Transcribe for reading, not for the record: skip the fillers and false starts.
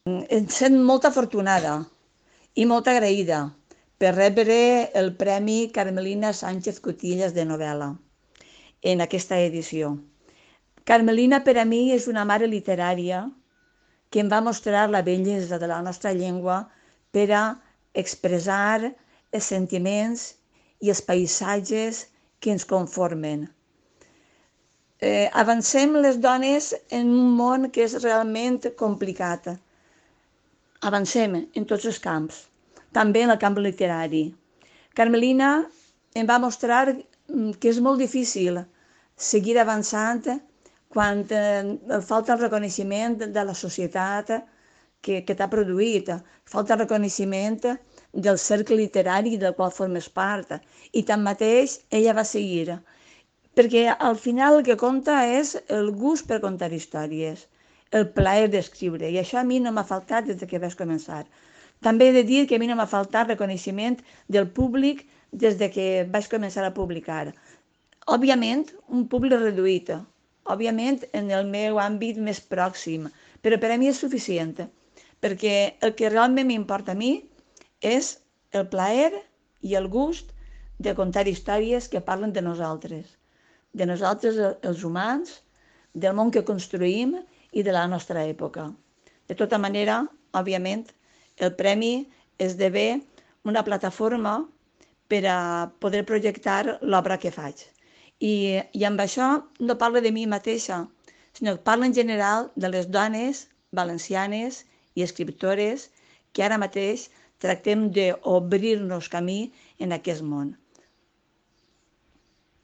Em sent molt afortunada i molt agraïda per rebre el Premi Carmelina Sánchez Cotillas de novel·la en aquesta edició. Carmelina per a mi és una mare literària que em va mostrar la bellesa de la nostra llengua per a expressar els sentiments i els paisatges que ens conformen. Avancem les dones en un món que és realment complicat. Avancem en tots els camps, també en el camp literari. Carmelina em va mostrar que és molt difícil seguir avançant quan falta el reconeixement de la societat que t'ha produït, falta el reconeixement del cercle literari del qual formes part. I tanmateix ella va seguir, perquè al final el que compta és el gust per contar històries, el plaer d'escriure, i això a mi no m'ha faltat des que vaig començar. També he de dir que a mi no m'ha faltat reconeixement del públic des que vaig començar a publicar. Òbviament, un públic reduït, òbviament en el meu àmbit més pròxim, però per a mi és suficient, perquè el que realment m'importa a mi és el plaer i el gust de contar històries que parlen de nosaltres els humans, del món que construïm i de la nostra època. De tota manera, òbviament, el premi esdevé una plataforma per a poder projectar l'obra que faig. I amb això no parlo de mi mateixa, sinó que parlo en general de les dones valencianes i escriptores que ara mateix tractem d'obrir-nos camí en aquest món.